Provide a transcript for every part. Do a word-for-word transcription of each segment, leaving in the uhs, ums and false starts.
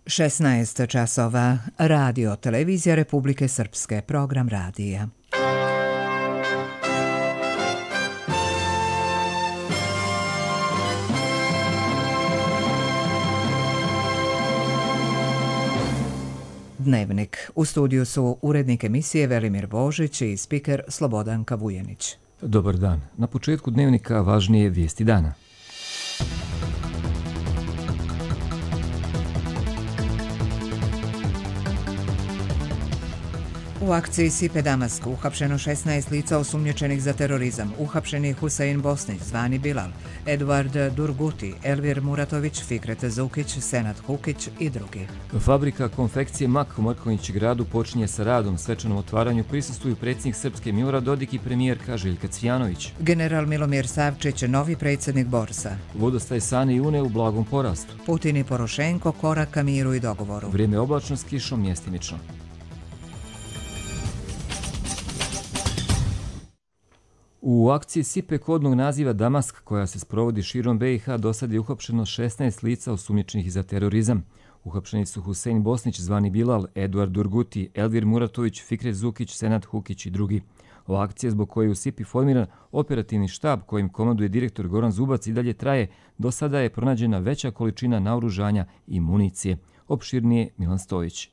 šesnaest časova. Radio Televizija Republike Srpske. Program radija. Dnevnik. U studiju su urednik emisije Velimir Božić i spiker Slobodanka Vujenić. Dobar dan. Na početku dnevnika važnije vijesti dana. U akciji Sipe Damask uhapšeno šesnaest lica osumnjičenih za terorizam. Uhapšeni Husein Bosnić, zvani Bilal, Eduard Durguti, Elvir Muratović, Fikret Zukić, Senad Hukić i drugi. Fabrika konfekcije Mak u Mrkonjić gradu počinje sa radom. Svečanom otvaranju prisustvuju predsjednik Srpske Milorad Dodik i premijerka Željka Cvijanović. General Milomir Savčić, novi predsjednik Borsa. Vodostaj Sane i Une u blagom porastu. Putin i Porošenko korak ka miru i dogovoru. Vrijeme oblačno s kišom mjestimično. U akciji Sipe kodnog naziva Damask, koja se sprovodi širom B i H, do sad je uhapšeno šesnaest lica osumnjičenih za terorizam. Uhapšeni su Husein Bosnić, zvani Bilal, Eduard Durguti, Elvir Muratović, Fikret Zukić, Senad Hukić i drugi. Ova akcija, zbog koje je u Sipi formiran operativni štab kojim komanduje direktor Goran Zubac, i dalje traje. Do sada je pronađena veća količina naoružanja i municije. Opširnije Milan Stojić.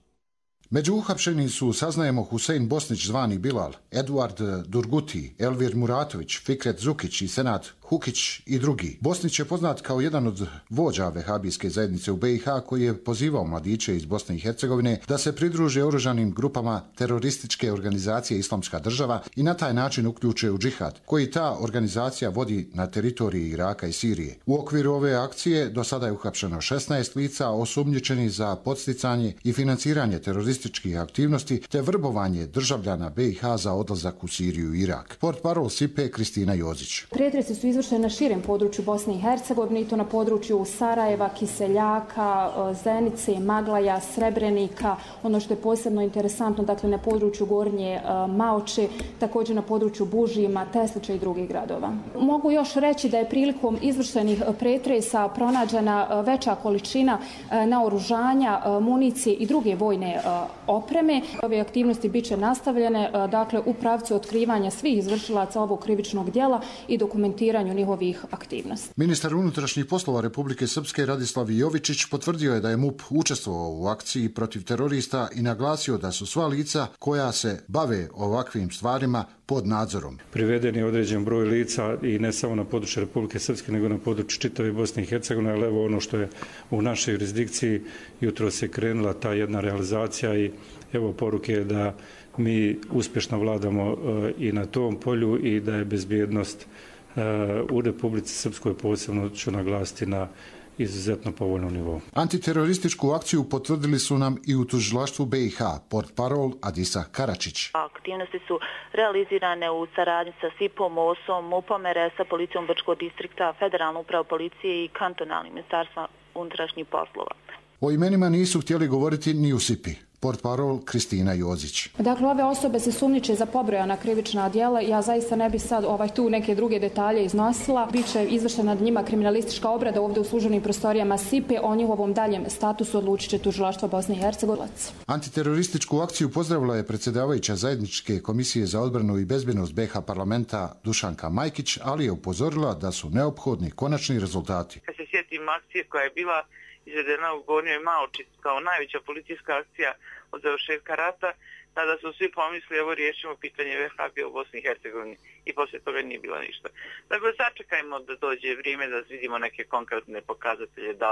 Među uhapšenim su, saznajemo, Husein Bosnić, zvani Bilal, Eduard Durguti, Elvir Muratović, Fikret Zukić i Senad Hukić i drugi. Bosnić je poznat kao jedan od vođa vehabijske zajednice u B i H, koji je pozivao mladiće iz Bosne i Hercegovine da se pridruže oružanim grupama terorističke organizacije Islamska država i na taj način uključe u džihad, koji ta organizacija vodi na teritoriji Iraka i Sirije. U okviru ove akcije do sada je uhapšeno šesnaest lica osumnjičenih za podsticanje i financiranje terorističkih aktivnosti te vrbovanje državljana B i H za odlazak u Siriju i Irak. Portparol Sipe Kristina Jozić. Pretresi su izvršeni na širem području Bosne i Hercegovine, i to na području Sarajeva, Kiseljaka, Zenice, Maglaja, Srebrenika, ono što je posebno interesantno, dakle na području Gornje Maoče, također na području Bužima, Teslića i drugih gradova. Mogu još reći da je prilikom izvršenih pretresa pronađena veća količina naoružanja, municije i druge vojne opreme. Ove aktivnosti bit će nastavljene, dakle, u pravcu otkrivanja svih izvršilaca ovog krivičnog djela i dokumentiranju njihovih aktivnosti. Ministar unutrašnjih poslova Republike Srpske Radislav Jovičić potvrdio je da je M U P učestvovao u akciji protiv terorista i naglasio da su sva lica koja se bave ovakvim stvarima pod nadzorom. Priveden je određen broj lica i ne samo na području Republike Srpske, nego na području čitave Bosne i Hercegovine, ali evo ono što je u našoj jurisdikciji, jutro se krenula ta jedna realizacija i evo poruke da mi uspješno vladamo i na tom polju i da je bezbjednost u Republici Srpskoj, posebno ću naglasiti, na izuzetno povoljnom nivou. Antiterorističku akciju potvrdili su nam i u tužilaštvu B i H, portparol Adisa Karačić. Aktivnosti su realizirane u saradnji sa SIP-om, O S-om, M U P-om, R S-a, Policijom Brčkog distrikta, Federalnu upravu policije i kantonalnim ministarstva unutrašnjih poslova. O imenima nisu htjeli govoriti ni u Sipi. Portparol Kristina Jozić. Dakle, ove osobe se sumnjiče za pobrojana krivična djela. Ja zaista ne bih sad ovaj tu neke druge detalje iznosila. Biće izvršena nad njima kriminalistička obrada ovdje u službenim prostorijama Sipe. O njihovom daljem statusu odlučit će tužilaštvo Bosne i Hercegovine. Antiterorističku akciju pozdravila je predsjedavajuća zajedničke komisije za odbranu i bezbjednost B H parlamenta Dušanka Majkić, ali je upozorila da su neophodni konačni rezultati. Kad se sjetim akcije koja je bila izvedena u Gornjoj Maoči kao najveća policijska akcija od završetka rata, tada su svi pomislili, evo riješimo pitanje vehabija u Bosni i Hercegovini, i poslije toga nije bilo ništa. Dakle, sačekajmo da dođe vrijeme da vidimo neke konkretne pokazatelje, da,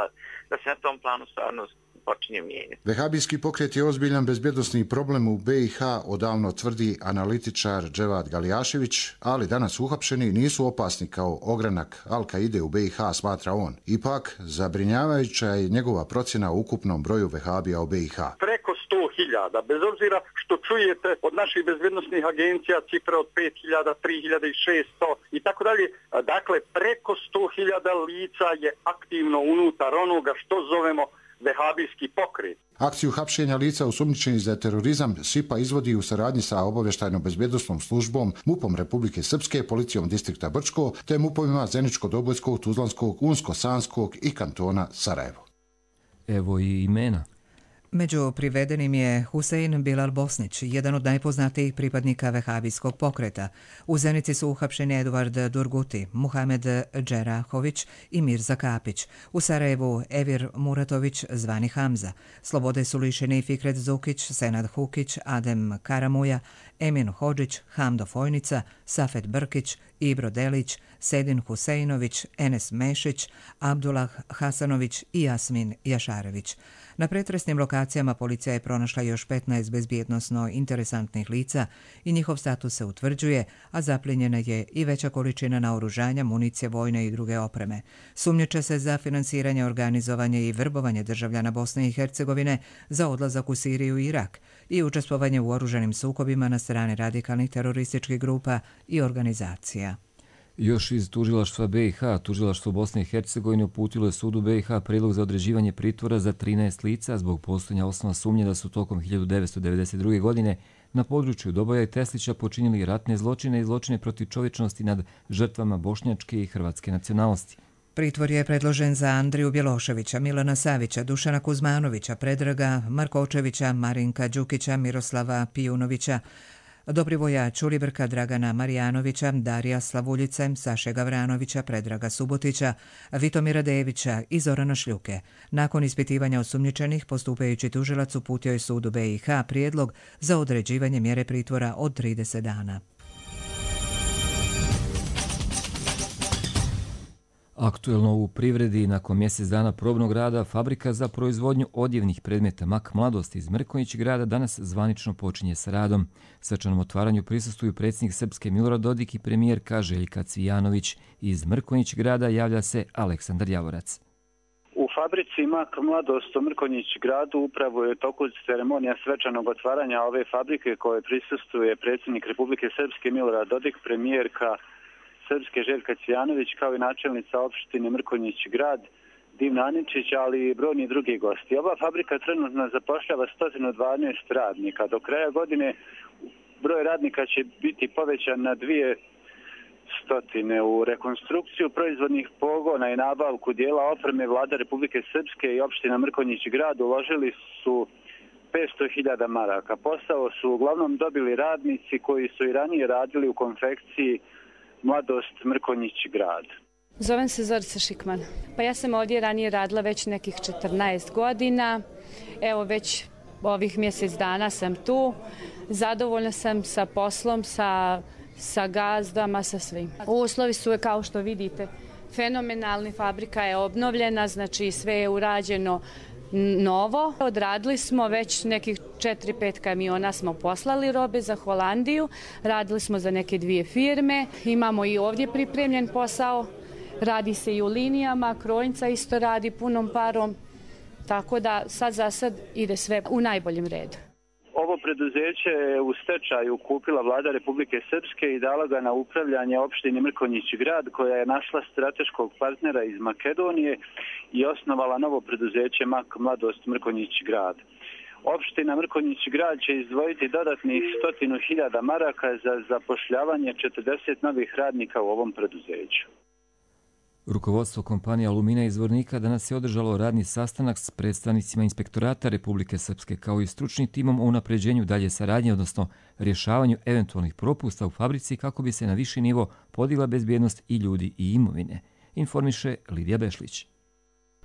da se na tom planu stvarno počinje mijenjati. Vehabijski pokret je ozbiljan bezbjednosni problem u B i H, odavno tvrdi analitičar Dževad Galijašević, ali danas uhapšeni nisu opasni kao ogranak Al-Kaide u B i H, smatra on. Ipak, zabrinjavajuća je njegova procjena o ukupnom broju vehabija u B i H. Preko sto hiljada, bez obzira što čujete od naših bezbjednosnih agencija cifre od pet hiljada, tri hiljade šesto i tako dalje. Dakle, preko sto hiljada lica je aktivno unutar onoga što zovemo vehabijski pokret. Akciju hapšenja lica osumnjičenih za terorizam Sipa izvodi u saradnji sa obavještajno-bezbjednosnom službom, M U P-om Republike Srpske, Policijom distrikta Brčko, te M U P-ovima Zeničko-Dobojskog, Tuzlanskog, Unsko-Sanskog i kantona Sarajevo. Evo i imena. Među privedenim je Husein Bilal Bosnić, jedan od najpoznatijih pripadnika vehabijskog pokreta. U Zenici su uhapšeni Eduard Durguti, Muhamed Džerahović i Mirza Kapić. U Sarajevu Evir Muratović, zvani Hamza. Slobode su lišeni Fikret Zukić, Senad Hukić, Adem Karamuja, Emin Hodžić, Hamdo Fojnica, Safet Brkić, Ibro Delić, Sedin Huseinović, Enes Mešić, Abdullah Hasanović i Jasmin Jašarević. Na pretresnim lokacijama policija je pronašla još petnaest bezbjednosno interesantnih lica i njihov status se utvrđuje, a zaplijenjena je i veća količina naoružanja, municije, vojne i druge opreme. Sumnjiče se za finansiranje, organizovanje i vrbovanje državljana Bosne i Hercegovine za odlazak u Siriju i Irak i učestvovanje u oružanim sukobima na strani radikalnih terorističkih grupa i organizacija. Još iz tužilaštva B i H, tužilaštvo Bosne i Hercegovine uputilo je sudu B i H predlog za određivanje pritvora za trinaest lica zbog postojanja osnova sumnje da su tokom hiljadu devetsto devedeset druge. godine na području Doboja i Teslića počinili ratne zločine i zločine protiv čovječnosti nad žrtvama bošnjačke i hrvatske nacionalnosti. Pritvor je predložen za Andriju Bjeloševića, Milana Savića, Dušana Kuzmanovića, Predraga Markočevića, Marinka Đukića, Miroslava Pijunovića, Dobrivoja Čulibrka, Dragana Marijanovića, Darija Slavuljice, Saše Gavranovića, Predraga Subotića, Vitomira Devića i Zorana Šljuke. Nakon ispitivanja osumnjičenih, postupajući tužilac uputio je sudu B i H prijedlog za određivanje mjere pritvora od trideset dana. Aktuelno u privredi, nakon mjesec dana probnog rada, fabrika za proizvodnju odjevnih predmeta Mak Mladost iz Mrkonjić grada danas zvanično počinje sa radom. Svečanom otvaranju prisustvuju predsjednik Srpske Milorad Dodik i premijerka Željka Cvijanović. Iz Mrkonjić grada javlja se Aleksandar Javorac. U fabrici Mak Mladost u Mrkonjić gradu upravo je u toku ceremonija svečanog otvaranja ove fabrike koje prisustuje predsjednik Republike Srpske Milorad Dodik, premijerka Srpske Željka Cvijanović, kao i načelnica opštine Mrkonjić grad Divna Aničić, ali i brojni drugi gosti. Ova fabrika trenutno zapošljava sto dvanaest radnika. Do kraja godine broj radnika će biti povećan na dvije stotine. U rekonstrukciju proizvodnih pogona i nabavku dijela opreme Vlada Republike Srpske i opština Mrkonjić grad uložili su petsto hiljada maraka. Posao su uglavnom dobili radnici koji su i ranije radili u konfekciji Mladost Mrkonjić grad. Zovem se Zorica Šikman. Pa ja sam ovdje ranije radila već nekih četrnaest godina. Evo već ovih mjesec dana sam tu. Zadovoljna sam sa poslom, sa, sa gazdama, sa svim. Uslovi su, kao što vidite, fenomenalni. Fabrika je obnovljena, znači sve je urađeno novo. Odradili smo već nekih četiri pet kamiona, smo poslali robe za Holandiju, radili smo za neke dvije firme, imamo i ovdje pripremljen posao, radi se i u linijama, krojnica isto radi punom parom, tako da sad za sad ide sve u najboljem redu. Ovo preduzeće je u stečaju kupila Vlada Republike Srpske i dala ga na upravljanje opštini Mrkonjić grad, koja je našla strateškog partnera iz Makedonije i osnovala novo preduzeće Mak Mladost Mrkonjić grad. Opština Mrkonjić grad će izdvojiti dodatnih stotinu hiljada maraka za zapošljavanje četrdeset novih radnika u ovom preduzeću. Rukovodstvo kompanije Alumina iz Zvornika danas je održalo radni sastanak s predstavnicima Inspektorata Republike Srpske kao i stručnim timom o unapređenju dalje saradnje, odnosno rješavanju eventualnih propusta u fabrici kako bi se na viši nivo podigla bezbjednost i ljudi i imovine, informiše Lidija Bešlić.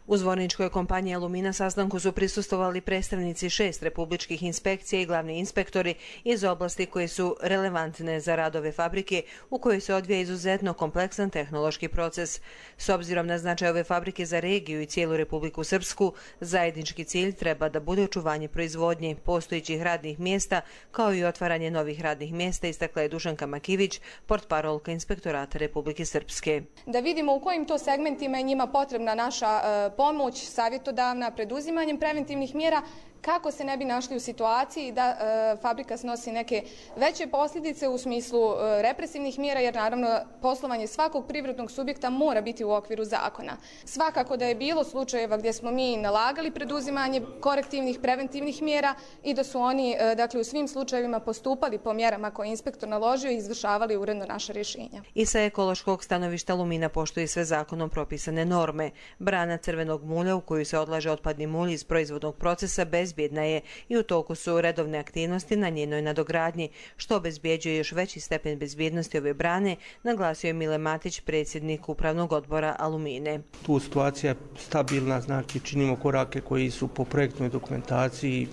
U zvorničkoj kompaniji Alumina sastanku su prisustvovali predstavnici šest republičkih inspekcija i glavni inspektori iz oblasti koje su relevantne za rad ove fabrike u kojoj se odvija izuzetno kompleksan tehnološki proces. S obzirom na značaj ove fabrike za regiju i cijelu Republiku Srpsku, zajednički cilj treba da bude očuvanje proizvodnje postojećih radnih mjesta kao i otvaranje novih radnih mjesta, istakla je Dušanka Makivić, portparolka Inspektorata Republike Srpske. Da vidimo u kojim to segmentima je njima potrebna naša pomoć savjetodavna preduzimanjem preventivnih mjera kako se ne bi našli u situaciji da e, fabrika snosi neke veće posljedice u smislu e, represivnih mjera, jer naravno poslovanje svakog privrednog subjekta mora biti u okviru zakona. Svakako da je bilo slučajeva gdje smo mi nalagali preduzimanje korektivnih preventivnih mjera i da su oni e, dakle, u svim slučajevima postupali po mjerama koje je inspektor naložio i izvršavali uredno naša rješenja. I sa ekološkog stanovišta Alumina poštuje sve zakonom propisane norme. Brana crvenog mulja u koju se odlaže otpadni mulj iz proizvodnog procesa bez bezbjedna je i u toku su redovne aktivnosti na njenoj nadogradnji, što obezbjeđuje još veći stepen bezbjednosti ove brane, naglasio je Mile Matić, predsjednik Upravnog odbora Alumine. Tu situacija je stabilna, znači činimo korake koji su po projektnoj dokumentaciji,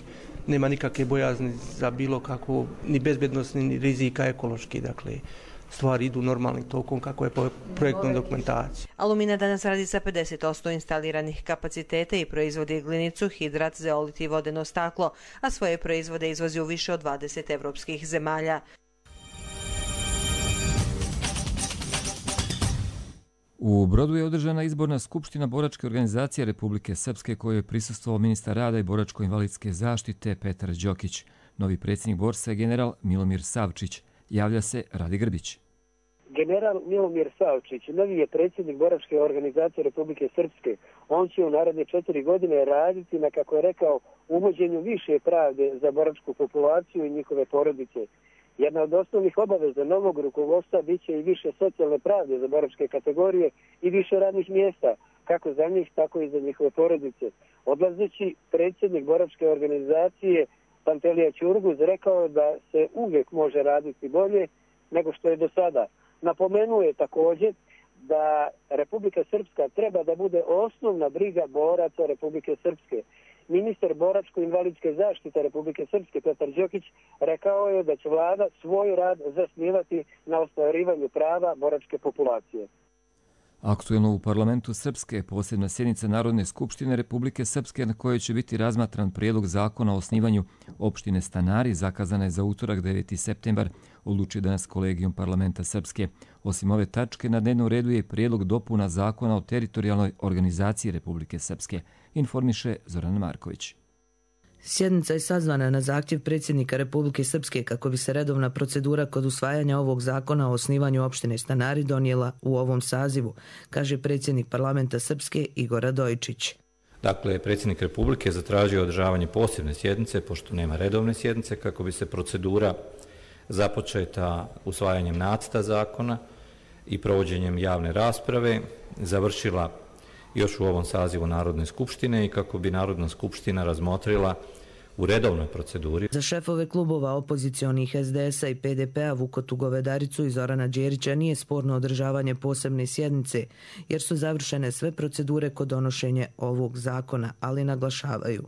nema nikakve bojazni za bilo kakvu ni bezbjednost ni rizika ekološki, dakle stvari idu normalnim tokom kako je po projektnoj dokumentaciji. Alumina danas radi sa pedeset posto instaliranih kapaciteta i proizvodi glinicu, hidrat, zeolit i vodeno staklo, a svoje proizvode izvozi u više od dvadeset evropskih zemalja. U Brodu je održana izborna skupština Boračke organizacije Republike Srpske kojoj je prisustvovao ministar rada i boračko-invalidske zaštite Petar Đokić. Novi predsjednik Borsa je general Milomir Savčić. Javlja se Radi Grbić. General Milomir Savčić, novi je predsjednik Boračke organizacije Republike Srpske. On će u naredne četiri godine raditi na, kako je rekao, uvođenju više pravde za boračku populaciju i njihove porodice. Jedna od osnovnih obaveza novog rukovodstva bit će i više socijalne pravde za boračke kategorije i više radnih mjesta, kako za njih, tako i za njihove porodice. Odlazeći, predsjednik Boračke organizacije Pantelija Ćurguz rekao da se uvijek može raditi bolje nego što je do sada. Napomenuo je također da Republika Srpska treba da bude osnovna briga boraca Republike Srpske. Ministar boračko-invalidske zaštite Republike Srpske Petar Đokić rekao je da će vlada svoj rad zasnivati na ostvarivanju prava boračke populacije. Aktuelno u parlamentu Srpske posebna sjednica Narodne skupštine Republike Srpske na kojoj će biti razmatran prijedlog zakona o osnivanju opštine Stanari zakazana je za utorak deveti septembar, odlučio danas kolegijum parlamenta Srpske. Osim ove tačke na dnevnom redu je prijedlog dopuna zakona o teritorijalnoj organizaciji Republike Srpske, informiše Zoran Marković. Sjednica je sazvana na zahtjev predsjednika Republike Srpske kako bi se redovna procedura kod usvajanja ovog zakona o osnivanju opštine Stanari donijela u ovom sazivu, kaže predsjednik parlamenta Srpske Igor Radojičić. Dakle, predsjednik Republike zatražio održavanje posebne sjednice, pošto nema redovne sjednice, kako bi se procedura započeta usvajanjem nacrta zakona i provođenjem javne rasprave završila još u ovom sazivu Narodne skupštine i kako bi Narodna skupština razmotrila u redovnoj proceduri. Za šefove klubova opozicionih es de es a i pe de pe a Vukotu Govedaricu i Zorana Đerića nije sporno održavanje posebne sjednice, jer su završene sve procedure kod donošenja ovog zakona, ali naglašavaju.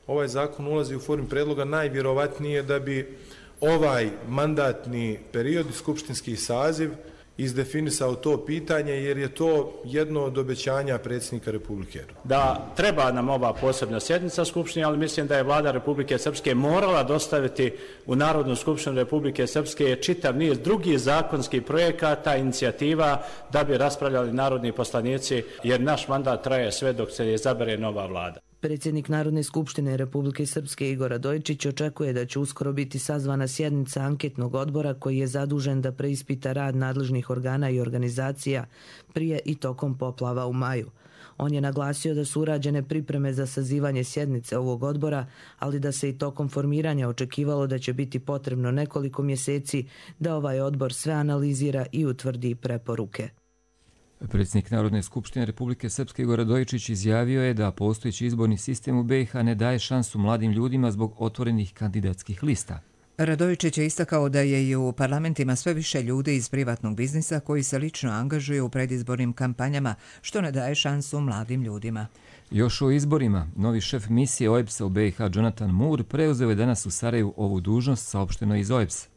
Ovaj zakon ulazi u formu predloga najvjerovatnije da bi ovaj mandatni period i skupštinski saziv izdefinisao to pitanje, jer je to jedno od obećanja predsjednika Republike. Da treba nam ova posebna sjednica Skupštine, ali mislim da je vlada Republike Srpske morala dostaviti u Narodnu skupštinu Republike Srpske čitav niz drugih zakonskih projekata, inicijativa da bi raspravljali narodni poslanici, jer naš mandat traje sve dok se izabere nova vlada. Predsjednik Narodne skupštine Republike Srpske Igor Radojičić očekuje da će uskoro biti sazvana sjednica anketnog odbora koji je zadužen da preispita rad nadležnih organa i organizacija prije i tokom poplava u maju. On je naglasio da su urađene pripreme za sazivanje sjednice ovog odbora, ali da se i tokom formiranja očekivalo da će biti potrebno nekoliko mjeseci da ovaj odbor sve analizira i utvrdi preporuke. Predsjednik Narodne skupštine Republike Srpske Igor Radojičić izjavio je da postojeći izborni sistem u be i ha ne daje šansu mladim ljudima zbog otvorenih kandidatskih lista. Radojičić je istakao da je i u parlamentima sve više ljudi iz privatnog biznisa koji se lično angažuju u predizbornim kampanjama, što ne daje šansu mladim ljudima. Još o izborima, novi šef misije o e be es a u be i ha Jonathan Moore preuzeo je danas u Sarajevu ovu dužnost, saopšteno iz o e be es a.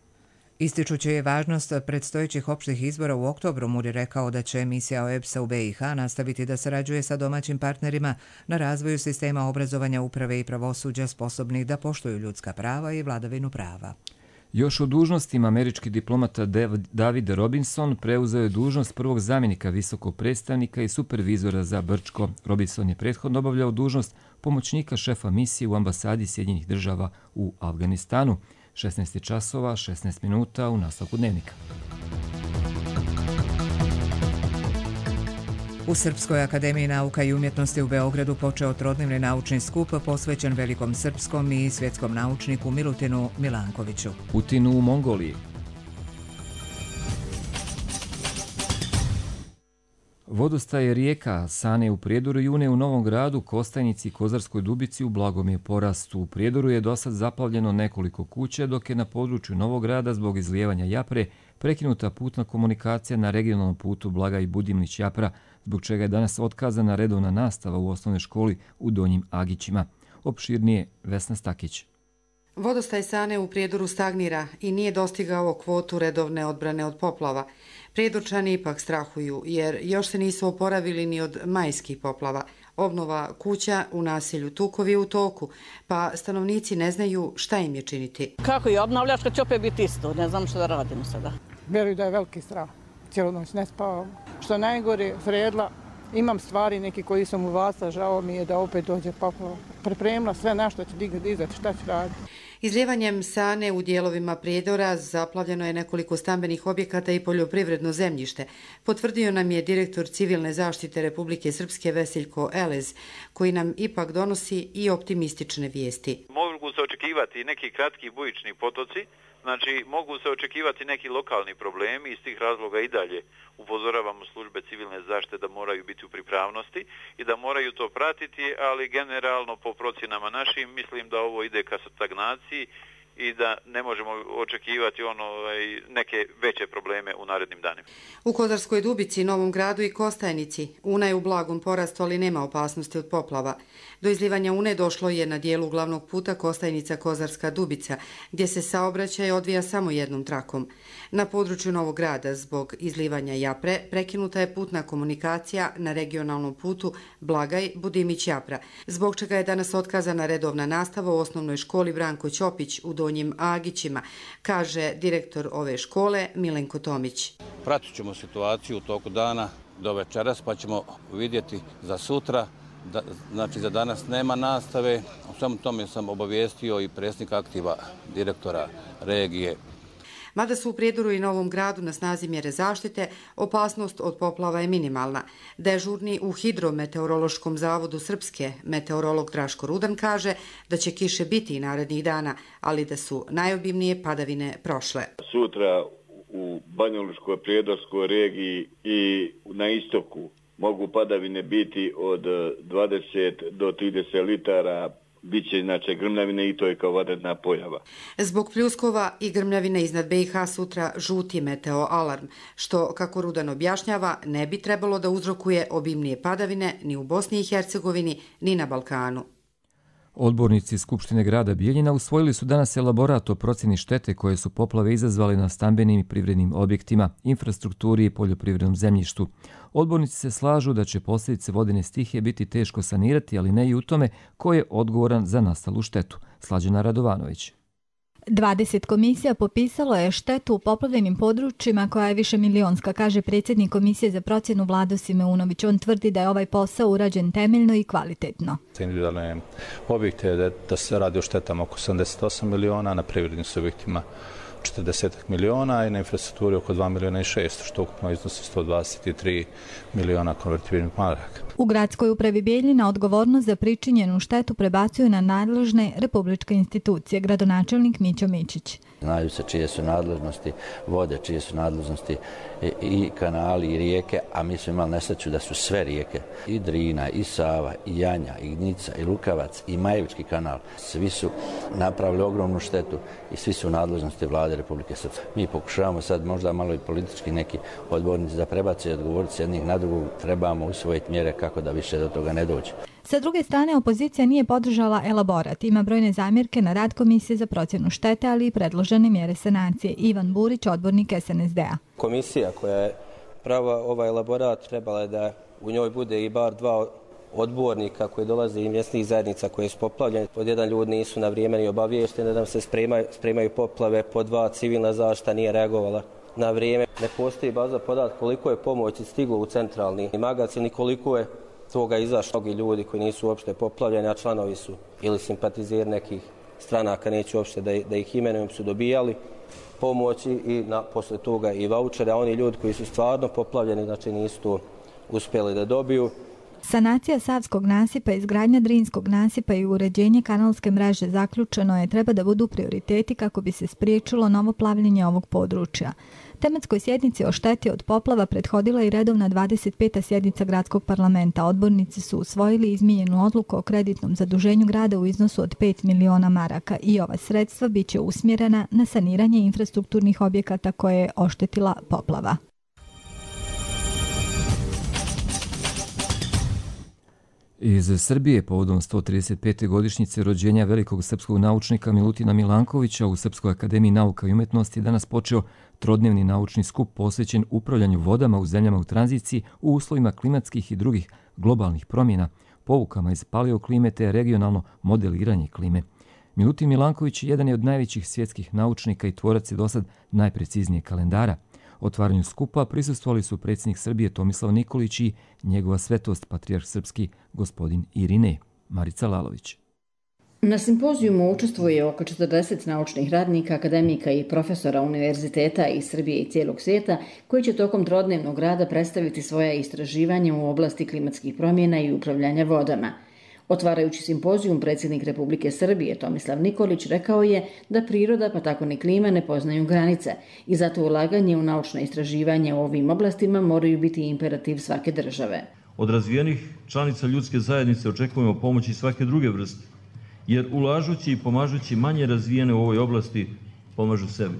Ističući je važnost predstojećih opštih izbora u oktobru, Moore je rekao da će misija o e be es a u be i ha nastaviti da sarađuje sa domaćim partnerima na razvoju sistema obrazovanja, uprave i pravosuđa sposobnih da poštuju ljudska prava i vladavinu prava. Još o dužnostima američki diplomata David Robinson preuzeo je dužnost prvog zamjenika visokog predstavnika i supervizora za Brčko. Robinson je prethodno obavljao dužnost pomoćnika šefa misije u ambasadi Sjedinjenih država u Afganistanu. šesnaest časova, šesnaest minuta u nastavku dnevnika. U Srpskoj akademiji nauka i umjetnosti u Beogradu počeo trodnevni naučni skup posvećen velikom srpskom i svjetskom naučniku Milutinu Milankoviću. Putinu u Mongoliji. Vodostaje rijeka Sane u Prijedoru i Une u Novom Gradu, Kostajnici i Kozarskoj Dubici u blagom je porastu. U Prijedoru je dosad zaplavljeno nekoliko kuća, dok je na području Novog Grada zbog izlijevanja Japre prekinuta putna komunikacija na regionalnom putu Blaga i Budimlić-Japra, zbog čega je danas otkazana redovna nastava u osnovnoj školi u Donjim Agićima. Opširnije Vesna Stakić. Vodostaj Sane u Prijedoru stagnira i nije dostigao kvotu redovne odbrane od poplava. Prijedorčani ipak strahuju jer još se nisu oporavili ni od majskih poplava. Obnova kuća u naselju Tukovi je u toku, pa stanovnici ne znaju šta im je činiti. Kako je obnavljaš kad će opet biti isto? Ne znam što da radimo sada. Vjeruju da je veliki strah. Cijelu noć ne spavam. Što najgore, Fredla, imam stvari neki koji sam uvasa, žao mi je da opet dođe poplava. Pripremila sve na što će dizati, šta će raditi. Izljevanjem Sane u dijelovima Prijedora zaplavljeno je nekoliko stambenih objekata i poljoprivredno zemljište, potvrdio nam je direktor Civilne zaštite Republike Srpske Veseljko Elez, koji nam ipak donosi i optimistične vijesti. Mogu se očekivati neki kratki bujični potoci, znači mogu se očekivati neki lokalni problemi, iz tih razloga i dalje upozoravamo službe civilne zaštite da moraju biti u pripravnosti i da moraju to pratiti, ali generalno po procjenama našim mislim da ovo ide ka stagnaciji i da ne možemo očekivati ono, neke veće probleme u narednim danima. U Kozarskoj Dubici, Novom Gradu i Kostajnici Una je u blagom porastu, ali nema opasnosti od poplava. Do izlivanja Une došlo je na dijelu glavnog puta Kostajnica-Kozarska Dubica, gdje se saobraćaj odvija samo jednom trakom. Na području Novog Grada zbog izlivanja Japre prekinuta je putna komunikacija na regionalnom putu Blagaj-Budimić-Japra, zbog čega je danas otkazana redovna nastava u osnovnoj školi Branko Ćopić u Donjim Agićima, kaže direktor ove škole Milenko Tomić. Pratit ćemo situaciju u toku dana do večeras pa ćemo vidjeti za sutra. Da, znači za danas nema nastave, u svemu tome sam obavijestio i predsjednika aktiva direktora regije. Mada su u Prijedoru i Novom Gradu na snazi mjere zaštite, opasnost od poplava je minimalna. Dežurni u Hidrometeorološkom zavodu Srpske meteorolog Draško Rudan kaže da će kiše biti i narednih dana, ali da su najobimnije padavine prošle. Sutra u Banjalučkoj prijedorskoj regiji i na istoku mogu padavine biti od dvadeset do trideset litara, biće inače grmljavine i to je kao vanredna pojava. Zbog pljuskova i grmljavine iznad B i H sutra žuti meteo alarm, što, kako Rudan objašnjava, ne bi trebalo da uzrokuje obimnije padavine ni u Bosni i Hercegovini, ni na Balkanu. Odbornici Skupštine grada Bijeljina usvojili su danas elaborat o procjeni štete koje su poplave izazvali na stambenim i privrednim objektima, infrastrukturi i poljoprivrednom zemljištu. Odbornici se slažu da će posljedice vodene stihije biti teško sanirati, ali ne i u tome ko je odgovoran za nastalu štetu. Slađana Radovanović. dvadeset komisija popisalo je štetu u poplavljenim područjima koja je više milionska, kaže predsjednik Komisije za procjenu Vlado Simeunović. On tvrdi da je ovaj posao urađen temeljno i kvalitetno. Individualne objekte da, da se radi o štetama oko sedamdeset osam miliona, na privrednim subjektima četrdeset miliona i na infrastrukturi oko dva miliona i šest, što ukupno iznosi sto dvadeset tri miliona konvertibilnih maraka. U gradskoj upravi Bijeljina odgovornost za pričinjenu štetu prebacuju na nadležne republičke institucije, gradonačelnik Mićo Mičić. Znaju se čije su nadležnosti vode, čije su nadležnosti i kanali i rijeke, a mi smo imali nesreću da su sve rijeke, i Drina, i Sava, i Janja, i Gnica, i Lukavac, i Majevički kanal. Svi su napravili ogromnu štetu i svi su u nadležnosti Vlade Republike Srpske. Mi pokušavamo sad možda malo i politički neki odbornici da prebace i odgovoriti s jednih na drugog, trebamo usvojiti mjere kako da više do toga ne dođe. Sa druge strane, opozicija nije podržala elaborat. Ima brojne zamjerke na rad Komisije za procjenu štete, ali i predložene mjere sanacije. Ivan Burić, odbornik S N S D-a. Komisija koja je prava ovaj elaborat trebala je da u njoj bude i bar dva odbornika koji dolaze i mjesnih zajednica koje su poplavljene. Pod jedan ljudi nisu na vrijeme ni obaviješteni da se spremaju, spremaju poplave, pod dva civilna zaštita nije reagovala na vrijeme. Ne postoji baza podatka koliko je pomoći stiglo u centralni magazin i koliko je toga izašlo. Mnogi ljudi koji nisu uopšte poplavljeni, a članovi su ili simpatizeri nekih stranaka, neću uopšte da, da ih imenujem, su dobijali pomoći i na, posle toga i vaučere, a oni ljudi koji su stvarno poplavljeni, znači nisu to uspjeli da dobiju. Sanacija Savskog nasipa, izgradnja Drinskog nasipa i uređenje kanalske mreže zaključeno je treba da budu prioriteti kako bi se spriječilo novo plavljenje ovog područja. Tematskoj sjednici o šteti od poplava prethodila i redovna dvadeset peta sjednica gradskog parlamenta. Odbornici su usvojili izmijenjenu odluku o kreditnom zaduženju grada u iznosu od pet miliona maraka i ova sredstva biće usmjerena na saniranje infrastrukturnih objekata koje je oštetila poplava. Iz Srbije povodom sto trideset pete godišnjice rođenja velikog srpskog naučnika Milutina Milankovića u Srpskoj akademiji nauka i umetnosti je danas počeo trodnevni naučni skup posvećen upravljanju vodama u zemljama u tranziciji u uslovima klimatskih i drugih globalnih promjena, poukama iz paleoklime te regionalno modeliranje klime. Milutin Milanković jedan je od najvećih svjetskih naučnika i tvorac je dosad najpreciznijeg kalendara. Otvaranju skupa prisustvovali su predsjednik Srbije Tomislav Nikolić i njegova svetost patrijarh srpski gospodin Irinej. Marica Lalović. Na simpozijumu učestvuje oko četrdeset naučnih radnika, akademika i profesora univerziteta iz Srbije i cijelog svijeta koji će tokom trodnevnog rada predstaviti svoja istraživanja u oblasti klimatskih promjena i upravljanja vodama. Otvarajući simpozijum, predsjednik Republike Srbije Tomislav Nikolić rekao je da priroda pa tako ni klima ne poznaju granice i zato ulaganje u naučna istraživanja u ovim oblastima moraju biti imperativ svake države. Od razvijenih članica ljudske zajednice očekujemo pomoći svake druge vrste, jer ulažući i pomažući manje razvijene u ovoj oblasti pomažu sebi.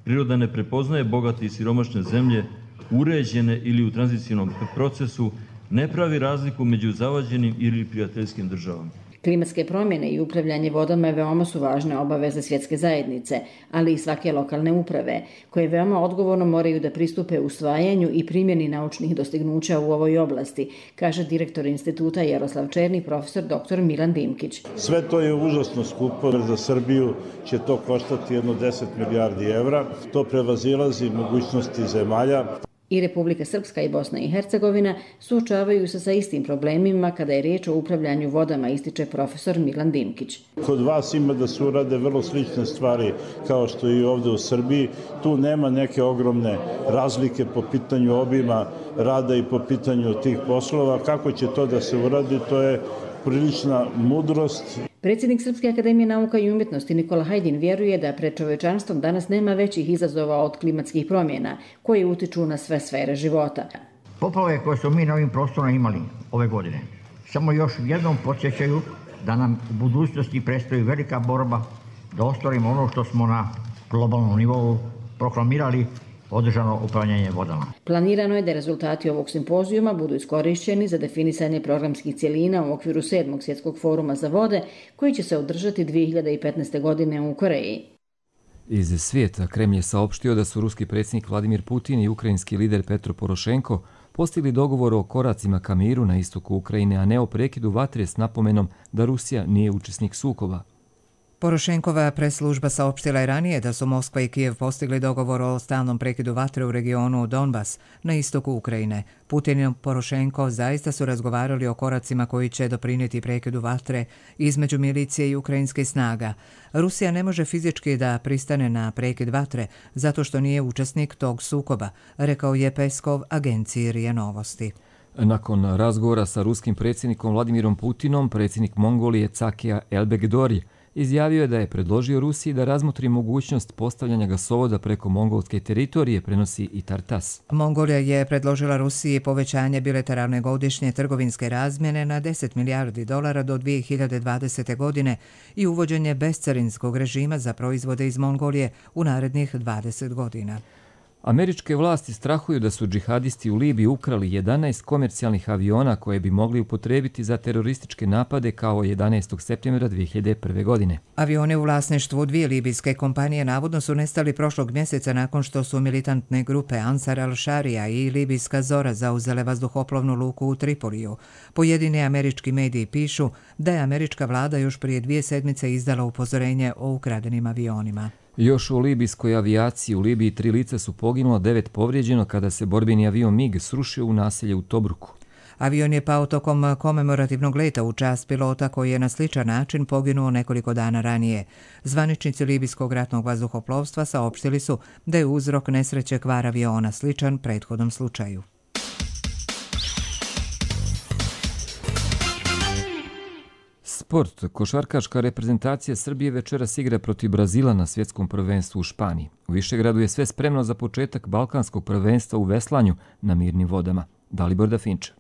Priroda ne prepoznaje bogate i siromašne zemlje, uređene ili u tranzicijnom procesu, ne pravi razliku među zavađenim ili prijateljskim državama. Klimatske promjene i upravljanje vodama veoma su važne obaveze svjetske zajednice, ali i svake lokalne uprave, koje veoma odgovorno moraju da pristupe usvajanju i primjeni naučnih dostignuća u ovoj oblasti, kaže direktor instituta Jaroslav Černi, profesor doktor Milan Dimkić. Sve to je užasno skupo, za Srbiju će to koštati jedno deset milijardi evra, to prevazilazi mogućnosti zemalja. I Republika Srpska i Bosna i Hercegovina suočavaju se sa istim problemima kada je riječ o upravljanju vodama, ističe profesor Milan Dimkić. Kod vas ima da se urade vrlo slične stvari kao što i ovdje u Srbiji. Tu nema neke ogromne razlike po pitanju obima rada i po pitanju tih poslova. Kako će to da se uradi, to je prilična mudrost. Predsjednik Srpske akademije nauka i umjetnosti Nikola Hajdin vjeruje da pred čovečanstvom danas nema većih izazova od klimatskih promjena koje utiču na sve sfere života. Poplave koje smo mi na ovim prostorima imali ove godine samo još jednom podsjećaju da nam u budućnosti predstoji velika borba da ostvarimo ono što smo na globalnom nivou proklamirali, održano upravljanje vodama. Planirano je da rezultati ovog simpozijuma budu iskorišćeni za definisanje programskih cjelina u okviru sedmog svjetskog foruma za vode, koji će se održati dvije hiljade petnaeste. godine u Koreji. Iz svijeta Kremlj je saopštio da su ruski predsjednik Vladimir Putin i ukrajinski lider Petro Porošenko postigli dogovor o koracima ka miru na istoku Ukrajine, a ne o prekidu vatre s napomenom da Rusija nije učesnik sukoba. Porošenkova press-služba saopštila je ranije da su Moskva i Kijev postigli dogovor o stalnom prekidu vatre u regionu Donbas na istoku Ukrajine. Putin i Porošenko zaista su razgovarali o koracima koji će doprinijeti prekidu vatre između milicije i ukrajinskih snaga. Rusija ne može fizički da pristane na prekid vatre zato što nije učesnik tog sukoba, rekao je Peskov agenciji R I A Novosti. Nakon razgovora sa ruskim predsjednikom Vladimirom Putinom, predsjednik Mongolije Cakija Elbegdori izjavio je da je predložio Rusiji da razmotri mogućnost postavljanja gasovoda preko mongolske teritorije, prenosi i Tartas. Mongolija je predložila Rusiji povećanje bilateralne godišnje trgovinske razmjene na deset milijardi dolara do dvije hiljade dvadesete. godine i uvođenje bescarinskog režima za proizvode iz Mongolije u narednih dvadeset godina. Američke vlasti strahuju da su džihadisti u Libiji ukrali jedanaest komercijalnih aviona koje bi mogli upotrebiti za terorističke napade kao jedanaestog septembra dvije hiljade prve. godine. Avioni u vlasništvu dvije libijske kompanije navodno su nestali prošlog mjeseca nakon što su militantne grupe Ansar al-Sharia i libijska Zora zauzele vazduhoplovnu luku u Tripoliju. Pojedini američki mediji pišu da je američka vlada još prije dvije sedmice izdala upozorenje o ukradenim avionima. Još u libijskoj avijaciji u Libiji tri lica su poginulo, devet povrijeđeno kada se borbeni avion MiG srušio u naselje u Tobruku. Avion je pao tokom komemorativnog leta u čast pilota koji je na sličan način poginuo nekoliko dana ranije. Zvaničnici libijskog ratnog vazduhoplovstva saopštili su da je uzrok nesreće kvar aviona sličan prethodnom slučaju. Sport. Košarkaška reprezentacija Srbije večeras igra protiv Brazila na svjetskom prvenstvu u Španiji. U Višegradu je sve spremno za početak balkanskog prvenstva u veslanju na mirnim vodama. Dalibor Dafinče.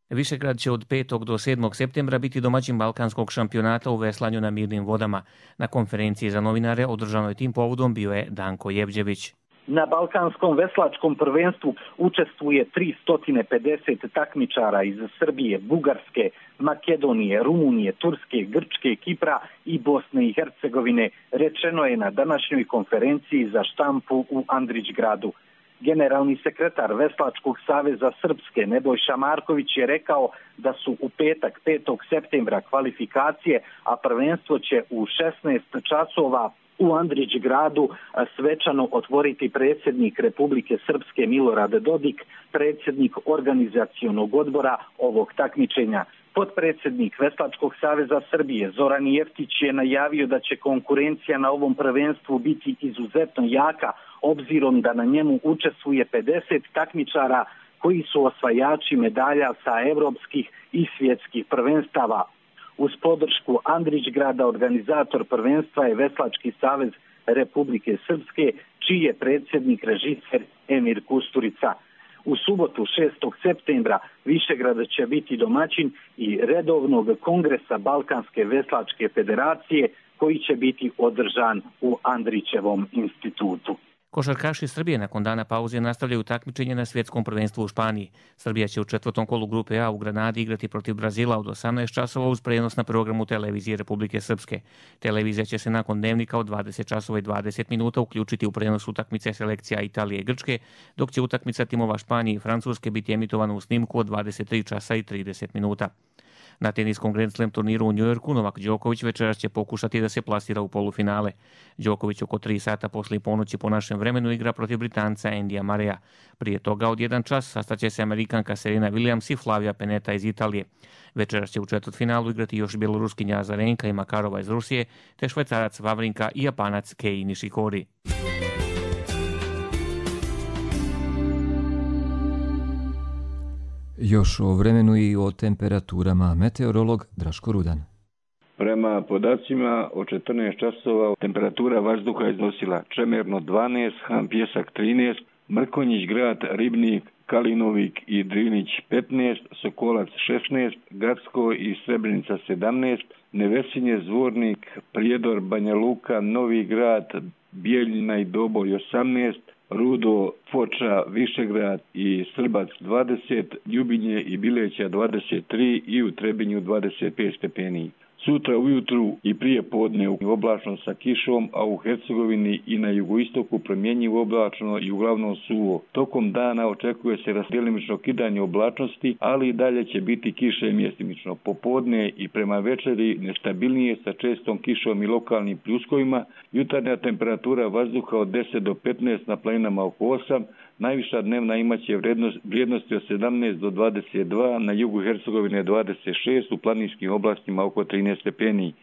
Višegrad će od petog do sedmog septembra biti domaćin balkanskog šampionata u veslanju na mirnim vodama. Na konferenciji za novinare održanoj tim povodom bio je Danko Jevđević. Na balkanskom veslačkom prvenstvu učestvuje tristo pedeset takmičara iz Srbije, Bugarske, Makedonije, Rumunije, Turske, Grčke, Kipra i Bosne i Hercegovine, rečeno je na današnjoj konferenciji za štampu u Andrićgradu. Generalni sekretar Veslačkog saveza Srpske Nebojša Marković je rekao da su u petak petog septembra kvalifikacije, a prvenstvo će u šesnaest časova u Andrićgradu svečano otvoriti predsjednik Republike Srpske Milorad Dodik, predsjednik organizacionog odbora ovog takmičenja. Potpredsjednik Veslačkog saveza Srbije Zoran Jeftić je najavio da će konkurencija na ovom prvenstvu biti izuzetno jaka, obzirom da na njemu učestvuje pedeset takmičara koji su osvajači medalja sa evropskih i svjetskih prvenstava. Uz podršku Andrićgrada organizator prvenstva je Veslački savez Republike Srpske, čiji je predsjednik režiser Emir Kusturica. U subotu šestog septembra Višegrad će biti domaćin i redovnog kongresa Balkanske veslačke federacije koji će biti održan u Andrićevom institutu. Košarkaši Srbije nakon dana pauze nastavljaju takmičenje na svjetskom prvenstvu u Španiji. Srbija će u četvrtom kolu grupe A u Granadi igrati protiv Brazila od osamnaest časova uz prenos na programu televizije Republike Srpske. Televizija će se nakon dnevnika od dvadeset časova i dvadeset minuta uključiti u prenos utakmice selekcija Italije i Grčke, dok će utakmica timova Španije i Francuske biti emitovana u snimku od dvadeset tri časa i trideset minuta. Na teniskom Grand Slam turniru u Njujorku Novak Đoković večeras će pokušati da se plasira u polufinale. Đoković oko tri sata poslije ponoći po našem vremenu igra protiv Britanca Andyja Murraya. Prije toga od jedan čas sastaće se Amerikanka Serena Williams i Flavia Pennetta iz Italije. Večeras će u četvrtfinalu igrati još bjeloruskinja Azarenka i Makarova iz Rusije, te Švajcarac Vavrinka i Japanac Kei Nishikori. Još o vremenu i o temperaturama. Meteorolog Draško Rudan. Prema podacima od četrnaest časova temperatura vazduha iznosila Čemerno dvanaest, Han Pjesak trinaest, Mrkonjić Grad, Ribnik, Kalinovik i Drinić petnaest, Sokolac šesnaest, Gacko i Srebrenica sedamnaest, Nevesinje, Zvornik, Prijedor, Banja Luka, Novi Grad, Bijeljina i Doboj osamnaest, Rudo, Foča, Višegrad i Srbac dvadeset, Ljubinje i Bileća dvadeset tri i u Trebinju dvadeset pet stepeni. Sutra ujutru i prije podne oblačno sa kišom, a u Hercegovini i na jugoistoku promjenjivo oblačno i uglavnom suvo. Tokom dana očekuje se djelimično kidanje oblačnosti, ali i dalje će biti kiše mjestimično. Popodne i prema večeri nestabilnije sa čestom kišom i lokalnim pljuskovima. Jutarnja temperatura vazduha od deset do petnaest, na planinama oko osam, najviša dnevna imaće vrijednosti od sedamnaest do dvadeset dva, na jugu Hercegovine dvadeset šest, u planinskim oblastima oko trinaest stepeni.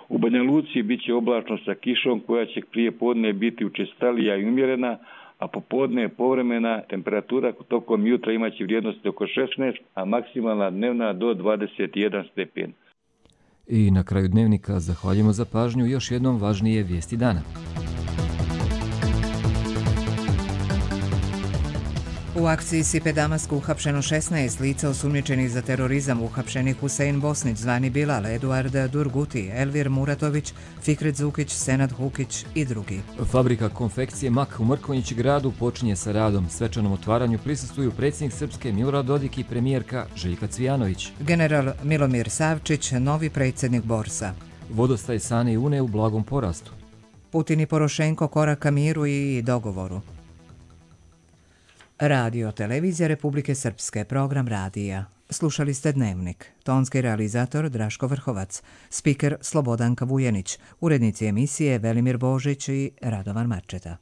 U Banja Luci bit će oblačno sa kišom koja će prije podne biti učestalija i umjerena, a popodne je povremena. Temperatura tokom jutra imaće vrijednosti oko šesnaest, a maksimalna dnevna do dvadeset jedan stepen. I na kraju dnevnika zahvaljujemo za pažnju, još jednom važnije vijesti dana. U akciji Sipe Damask uhapšeno šesnaest lica osumnjičenih za terorizam, uhapšeni Husein Bosnić, zvani Bilal, Eduard Durguti, Elvir Muratović, Fikret Zukić, Senad Hukić i drugi. Fabrika konfekcije Mak u Mrkonjić Gradu počinje sa radom. Svečanom otvaranju prisustvuju predsjednik Srpske Milorad Dodik i premijerka Željka Cvijanović. General Milomir Savčić, novi predsjednik Borsa. Vodostaj Sane i Une u blagom porastu. Putin i Porošenko koraka miru i dogovoru. Radio Televizija Republike Srpske, program radija. Slušali ste Dnevnik. Tonski realizator Draško Vrhovac, spiker Slobodanka Vujenić, urednici emisije Velimir Božić i Radovan Marčeta.